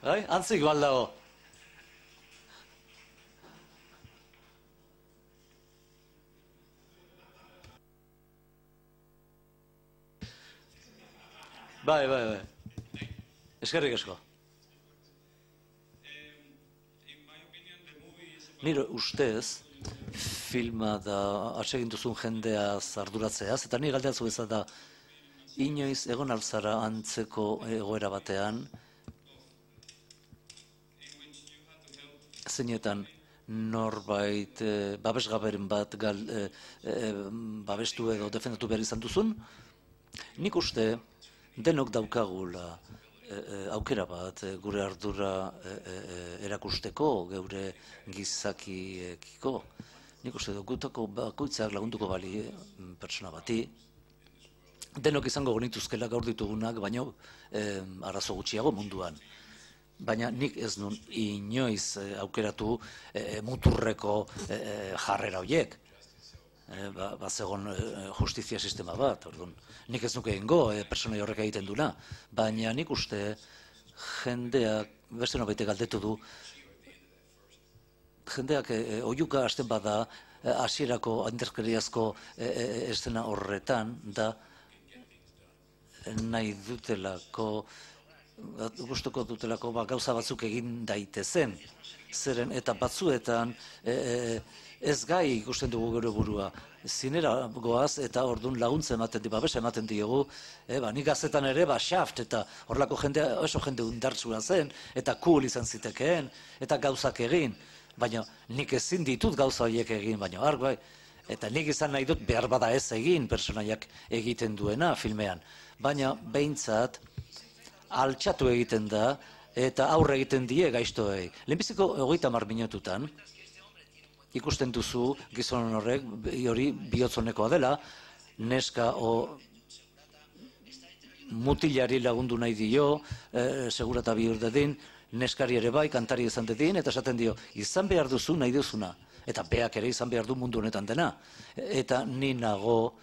Bai, antzik baldago. Bai, bai, bai. Eskerrik asko. Nire ustez, filma da atsegin duzun jendea zarduratzeaz, eta ni galdeatzu ez da, inoiz egon alzara antzeko egoera batean, zeinetan norbait eh, babesgaberen bat gal, eh, eh, babestu edo defendatu behar izan duzun, nik uste denok daukagula eh, aukera bat eh, gure ardura eh, eh, erakusteko, geure gizakiekiko. Nik uste gutako bakoitzak lagunduko bali eh, pertsona bati, denok izango genituzkela gaur ditugunak, baino eh, arazo gutxiago munduan. Baina nik ez nun inoiz eh, aukeratu eh, muturreko eh, jarrera horiek. Eh, ba, ba zegon eh, justizia sistema bat, orduan. Nik ez nuke egingo eh, pertsona horrek egiten duna, baina nik uste jendeak, beste norbait galdetu du, jendeak eh, oihuka hasten bada eh, hasierako indarkeriazko eh, eh, eszena horretan da nahi dutelako gustuko dutelako ba, gauza batzuk egin daitezen, zeren eta batzuetan e, e, ez gai ikusten dugu gure burua. Zinera goaz eta orduan laguntza ematen di, babesa ematen diogu, e, ba, nik gaztetan ere, ba, Shaft eta horlako jende, oso jende undartsua zen, eta cool izan zitekeen, eta gauzak egin, baina nik ezin ditut gauza horiek egin, baina arg bai, eta nik izan nahi dut behar bada ez egin pertsonaiak egiten duena filmean, baina behintzat, altxatu egiten da, eta aurre egiten die gaiztoei. Lehenbiziko hogeita hamar minututan, ikusten duzu gizon horrek, hori bihotzonekoa dela, neska o mutilari lagundu nahi dio, e, segurata bihur dedin, neskari ere bai, kantari izan dedin, eta esaten dio, izan behar duzu nahi duzuna, eta beak ere izan behar du mundu honetan dena. Eta ni nago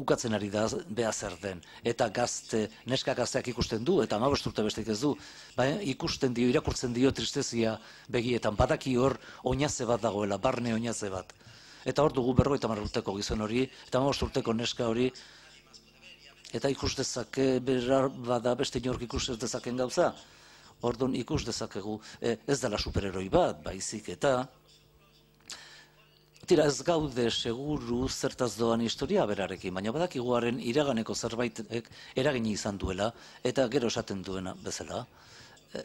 ukatzen ari da beha zer den, eta gazte, neska gazteak ikusten du, eta hamabost urte besteik ez du, baina ikusten dio, irakurtzen dio tristezia begietan, badaki hor oinaze bat dagoela, barne oinaze bat. Eta hor dugu berrogeita hamar urteko gizon hori, eta hamabost urteko neska hori, eta ikus dezake, berar bada beste inork ikus ez dezaken gauza, orduan ikus dezakegu, e, ez dela superheroi bat, baizik eta, tira ez gaude seguru zertaz doan historia berarekin, baina badakiguaren iraganeko zerbaitek eragini izan duela, eta gero esaten duena bezala, e,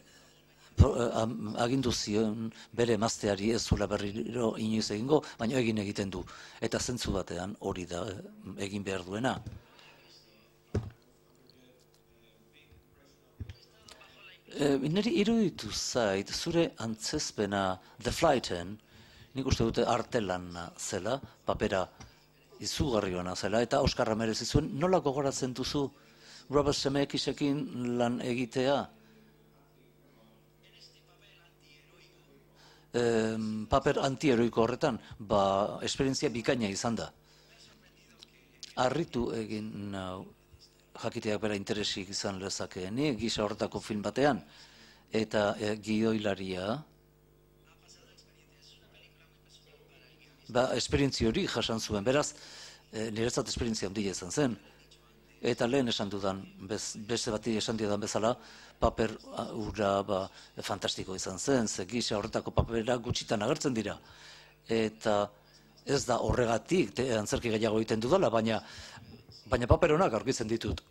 pro, e, agindu zion bere emazteari ez zuela berriro inoiz egingo, baina egin egiten du, eta zentzu batean hori da egin behar duena. E, niri iruditu zait, zure antzezpena The Flighten, nik uste dute artelana zela, papera izugarri ona zela, eta Oskarra merezi zuen, nola gogoratzen duzu Robert Zemekisekin lan egitea? E, paper antieroiko horretan, ba, esperientzia bikaina izan da. Harritu egin nau, jakiteak bera interesik izan lezakeen, gisa horretako film batean, eta e, gidoilaria, ba, esperientzia hori jasan zuen, beraz, e, niretzat esperientzia handia izan zen. Eta lehen esan dudan, bez, beste bati esan dudan bezala, paper ura ba, fantastiko izan zen, ze gisa horretako papera gutxitan agertzen dira. Eta ez da horregatik, te, antzerki gehiago egiten dudala, baina, baina paper honak aurkitzen ditut.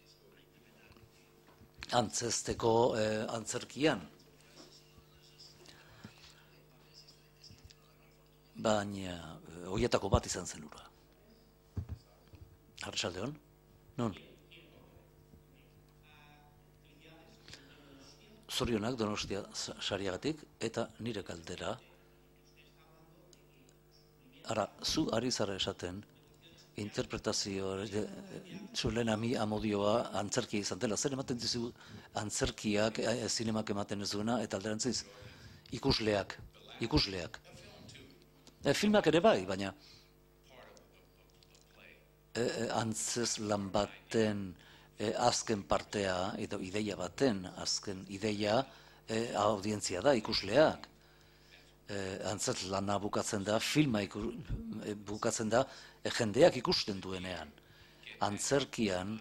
Antzesteko eh, antzerkian. Baina, horietako bat izan zen ura. Arratsaldeon? Non? Zorionak Donostia sariagatik, eta nire galdera. Ara, zu ari zara esaten, interpretazio, zulen ami amodioa antzerkia izan dela. Zer ematen dizu antzerkiak, e, zinemak ematen ez duena, eta alderantziz, ikusleak, ikusleak. E, filmak ere bai, baina e, e, antzez lan baten e, azken partea, edo ideia baten, azken ideia, e, audientzia da, ikusleak. Eh, antzat lana bukatzen da, filma iku, eh, bukatzen da, eh, jendeak ikusten duenean. Antzerkian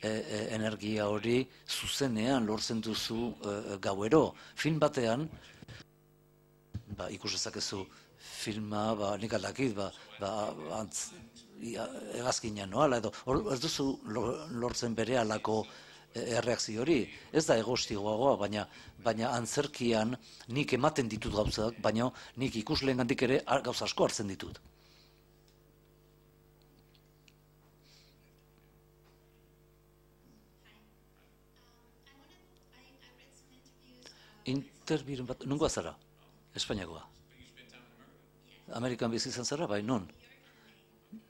eh, eh, energia hori zuzenean lortzen duzu eh, gauero. Film batean, ba, ikus dezakezu filma, ba, nik aldakit, ba, ba, antz, egazkinean noala, edo, hor, ez duzu lortzen bere alako erreakzio hori, ez da egostigoagoa, baina baina antzerkian nik ematen ditut gauzak, baina nik ikusleengandik ere gauza asko hartzen ditut. Interbiren bat, nungoa zara? Espainiakoa. Amerikan bizi izan zara, bai, non?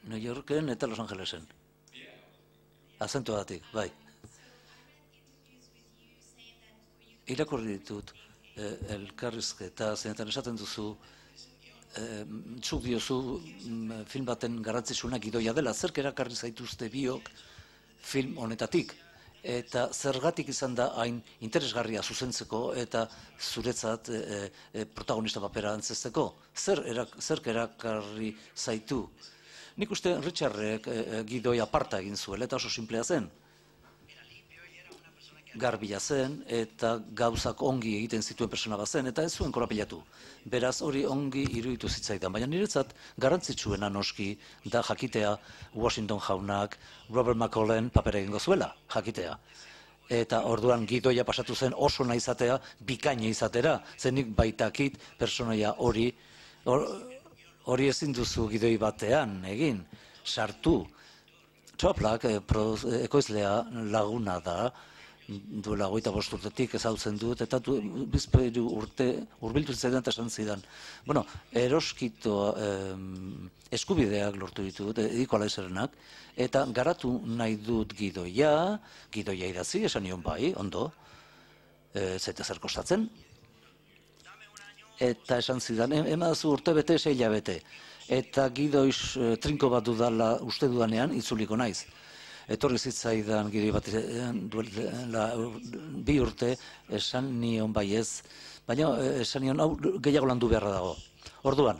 New Yorken eta Los Angelesen. Azentuagatik, bai. Irakurri ditut, eh, elkarrizketa, zenetan esaten duzu, eh, zuk diozu mm, film baten garrantzitsuna gidoia dela, zerk erakarri zaituzte biok film honetatik, eta zergatik izan da hain interesgarria zuzentzeko eta zuretzat eh, eh, protagonista papera antzesteko, zer erak, zerk erakarri zaitu. Nik uste Richardrek eh, gidoia aparta egin zuela eta oso simplea zen. Garbila zen eta gauzak ongi egiten zituen persona bat zen eta ez zuen korapilatu. Beraz hori ongi iruditu zitzaidan, baina niretzat garrantzitsuena noski da jakitea Washington jaunak Robert McCullen papera egingo zuela, jakitea. Eta orduan gidoia pasatu zen oso nahi izatea, bikaina izatera, zenik baitakit personaia hori, hori ezin duzu gidoi batean egin, sartu. Choplak, ekoizlea laguna da, duela hogeita bost urtetik ezautzen dut, eta du, bizpahiru urte hurbildu zidan eta esan zidan. Bueno, eroskito eh, eskubideak lortu ditut, Equalizerrenak, eta garatu nahi dut gidoia, gidoia idatzi, esan nion bai, ondo, e, zaita zer kostatzen, eta esan zidan, emazu urte bete, seila bete, eta gidoiz e, trinko bat dudala uste dudanean, itzuliko naiz. Etorri zitzaidan gidoi bat duela bi urte, esan nion bai ez, baina esan nion hau gehiago landu beharra dago. Orduan,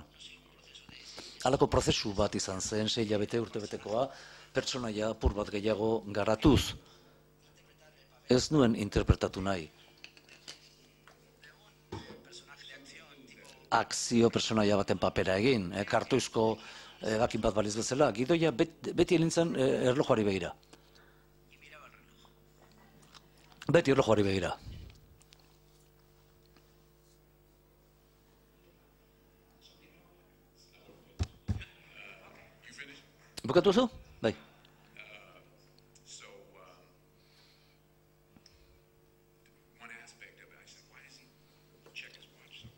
halako prozesu bat izan zen, sei hilabete urtebetekoa, pertsonaia apur bat gehiago garatuz. Ez nuen interpretatu nahi. Akzio pertsonaia baten papera egin, eh, kartoizko egakin bat baliz bezala, gidoia bet, beti elintzen eh, erlojuari begira. Beti erlojuari begira. Bukatu zu? Bai.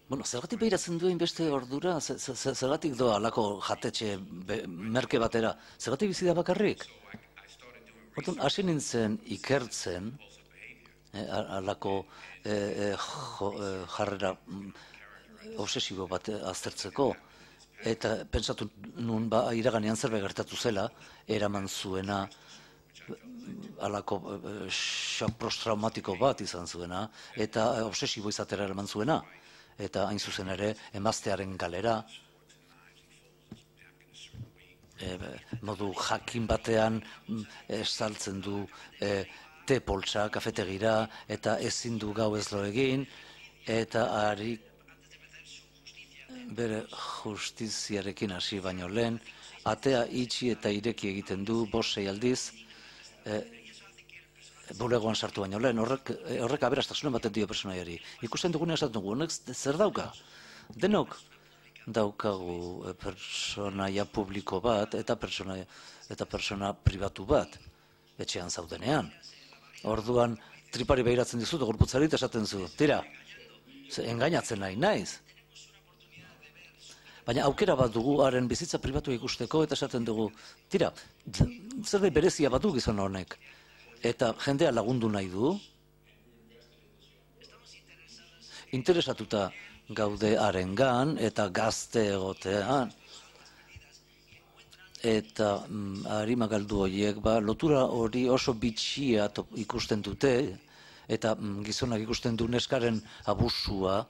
Bueno, zergatik behiratzen duen beste ordura, zergatik doa alako jatetxe merke batera, zergatik bizi da bakarrik? Hortan, hasi nintzen ikertzen, eh, alako eh, jo, eh, jarrera obsesibo bat aztertzeko, eta pentsatu nun ba, iraganean zerbait gertatu zela, eraman zuena, alako eh, shock post-traumatiko bat izan zuena, eta obsesibo izatera eraman zuena. Eta hain zuzen ere, emaztearen galera, e, modu jakin batean estaltzen du e, te poltsa, kafetegira, eta ezin du gau ez lo egin, eta ari bere justiziarekin hasi baino lehen, atea itxi eta ireki egiten du, bost sei aldiz, e, bulegoan sartu baino lehen, horrek, horrek aberastasunen baten dio personaiari. Ikusten dugunean esaten dugu, honek zer dauka? Denok daukagu personaia publiko bat eta persona, eta persona pribatu bat, etxean zaudenean. Orduan, tripari behiratzen dizut, gorputzari eta esaten zu, tira, engainatzen nahi naiz. Baina aukera bat dugu haren bizitza pribatu ikusteko eta esaten dugu, tira, zerbait berezia bat du gizon honek. Eta jendea lagundu nahi du, interesatuta gaude harengan eta gazte egotean. Eta mm, harima galdu horiek, ba, lotura hori oso bitxia ikusten dute, eta mm, gizonak ikusten du neskaren abusua,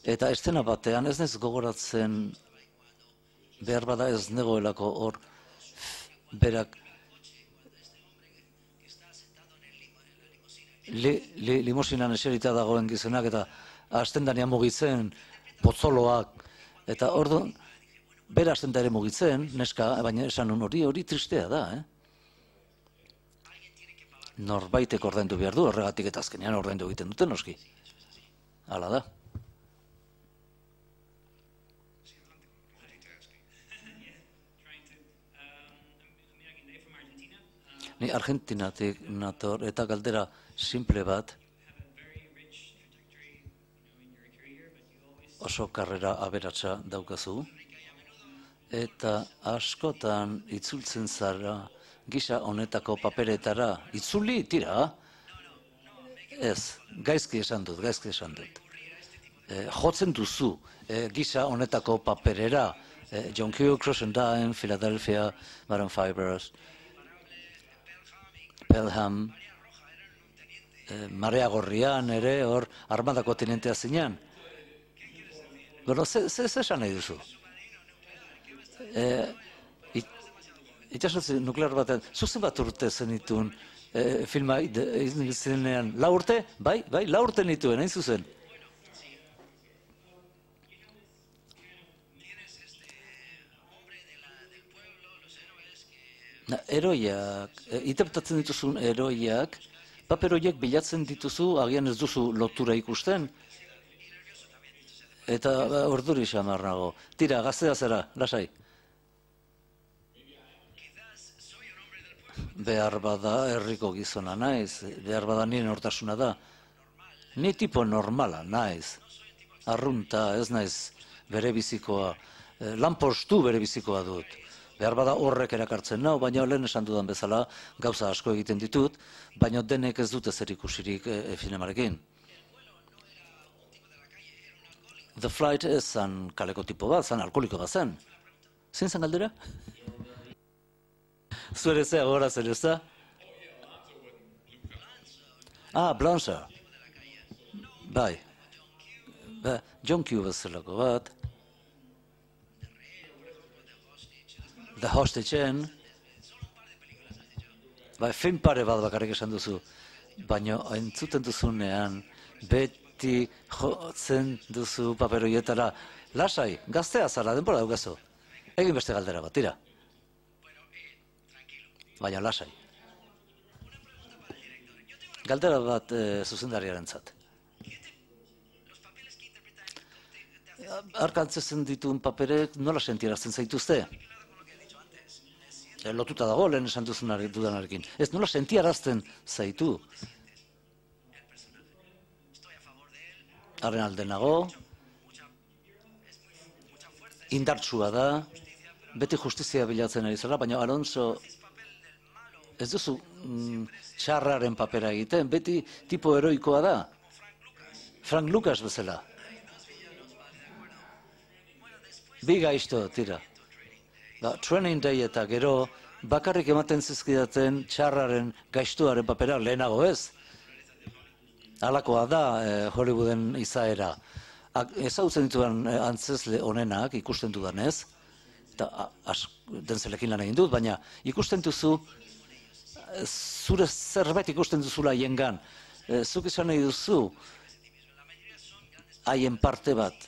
eta estena batean ez nez gogoratzen behar bada ez negoelako hor berak li, li, limosinan eserita dagoen gizonak eta hasten danean mugitzen potzoloak, eta ordu bera hasten da ere mugitzen, neska, baina esan nun hori hori tristea da, eh? Norbaitek ordaindu behar du, horregatik eta azkenean ordaindu egiten duten noski. Hala da. Ni Argentinatik nator eta galdera simple bat, oso karrera aberatsa daukazu, eta askotan itzultzen zara gisa honetako paperetara. Itzuli, tira? Ez, gaizki esan dut, gaizki esan dut. E, jotzen duzu e, gisa honetako paperera, e, John Q. Crossendine, Philadelphia, Maroon Fibers, Pelham, e, Marea Gorrian ere, hor, armadako tenentea zinean. Bueno, ze, ze, ze esan nahi duzu? E, it, Itxasotzi nuklear batean, zuzen bat urte zenituen e, filma zenean, lau urte? Bai, bai, lau urte nituen, hain zuzen. Na, eroiak, e, interpretatzen dituzun eroiak, paper horiek bilatzen dituzu, agian ez duzu lotura ikusten, eta ba, orduri xamar nago. Tira, gaztea zera, lasai. Behar bada herriko gizona naiz, behar bada nien hortasuna da. Ni tipo normala naiz, arrunta ez naiz bere bizikoa, eh, lanpostu bere bizikoa dut. Behar bada horrek erakartzen nau, baina lehen esan dudan bezala gauza asko egiten ditut, baina denek ez dute zer ikusirik e, filmarekin. The Flight ez zan kaleko tipo bat, zan alkoholiko bat zen. Zein zan galdera? Zuere zea gora zer ez da? Ah, Blanchard. Bai. Ba, John Q. bezalako bat. The Hostage-en. Bai, film pare bat bakarrik esan duzu. Baina entzuten duzunean, beti jotzen duzu paperoietara. Lasai, gaztea zara, denbora daukazu. Egin beste galdera bat, tira. Baina lasai. Galdera bat e, zuzendariaren zat. Arkantzezen dituen paperek nola sentiarazten zaituzte? E, lotuta dago lehen esan dudanarekin. Ez nola sentiarazten zaitu? Haren alde nago, indartsua da, beti justizia bilatzen ari zara, baina Alonso ez duzu mm, txarraren papera egiten, beti tipo heroikoa da. Frank Lucas bezala. Bi gaizto, tira. Ba, Training Day eta gero bakarrik ematen zizkidaten txarraren gaiztuaren papera lehenago ez. Halakoa da eh, Hollywooden izaera. Ezagutzen dituen eh, antzezle honenak ikusten dudanez, eta dentzelekin lan egin dut, baina ikusten duzu zure zerbait ikusten duzula hiengan. E, zuk izan nahi duzu haien parte bat.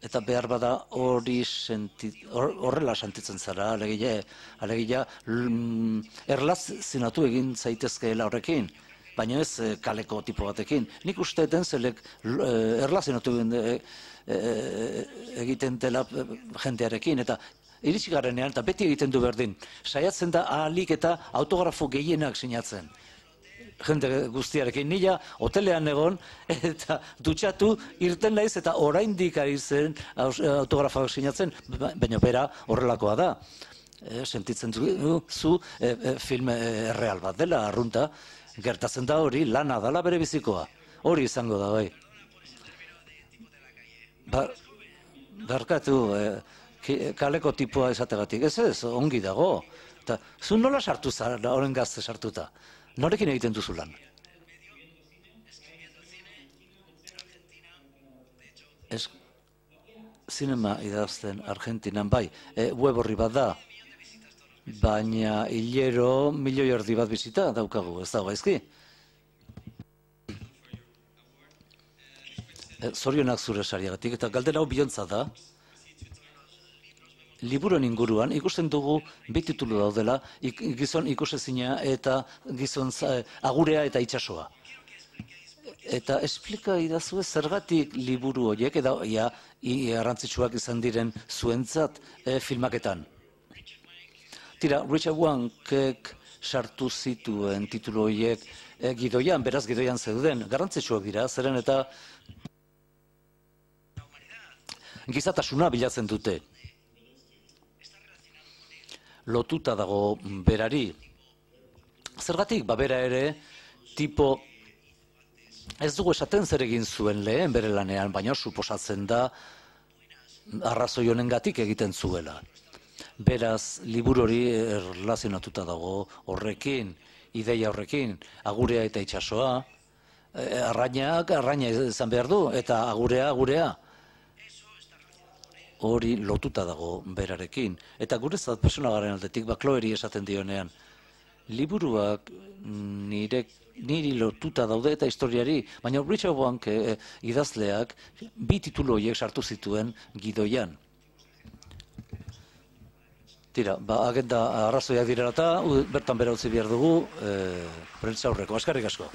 Eta behar bada hori horrela sentitzen zara, alegia, alegia mm, erlazionatu egin zaitezkeela horrekin, baina ez e, kaleko tipo batekin. Nik uste dentzelek e, erlazionatu e, e, egiten dela jendearekin, eta iritsi garenean, eta beti egiten du berdin, saiatzen da ahalik eta autografo gehienak sinatzen. jende guztiarekin, nila hotelean egon, eta dutxatu irten naiz, eta oraindik ari zen autografoak sinatzen, baina bera horrelakoa da. E, sentitzen du, zu e, e, film erreal bat dela, arrunta, gertatzen da hori, lana dala bere bizikoa. Hori izango da, bai. Ba, barkatu, e, kaleko tipua esategatik, ez ez, ongi dago. Eta, zu nola sartu zara, horren gazte sartuta? Norekin egiten duzu lan? Ez, zinema idazten Argentinan, bai, e, web horri bat da, baina hilero milioi erdi bat bizita daukagu, ez dago gaizki? E, zorionak zure sariagatik, eta galdera hau bihontza da, liburuen inguruan ikusten dugu bi titulu daudela, ik, gizon ikusezina eta gizon za, agurea eta itsasoa. Eta esplika idazue zergatik liburu horiek, eta ja, garrantzitsuak izan diren zuentzat e, filmaketan. Tira, Richard Wankek sartu zituen titulu horiek e, gidoian, beraz gidoian zeuden, garrantzitsuak dira, zeren eta gizatasuna bilatzen dute. Lotuta dago berari. Zergatik, ba bera ere, tipo, ez dugu esaten zer egin zuen lehen bere lanean, baina suposatzen da arrazoi honengatik egiten zuela. Beraz, liburu hori erlazionatuta dago horrekin, ideia horrekin, agurea eta itsasoa, arrainak, arraina izan behar du, eta agurea, agurea. Hori lotuta dago berarekin. Eta gurezat personagaren aldetik, bakloeri esaten dionean, liburuak nire, niri lotuta daude eta historiari, baina Richard Wank e, idazleak bi titulu horiek sartu zituen gidoian. Tira, ba, agenda arrazoiak direla eta bertan bera utzi behar dugu, e, prentsa aurreko. Eskerrik asko.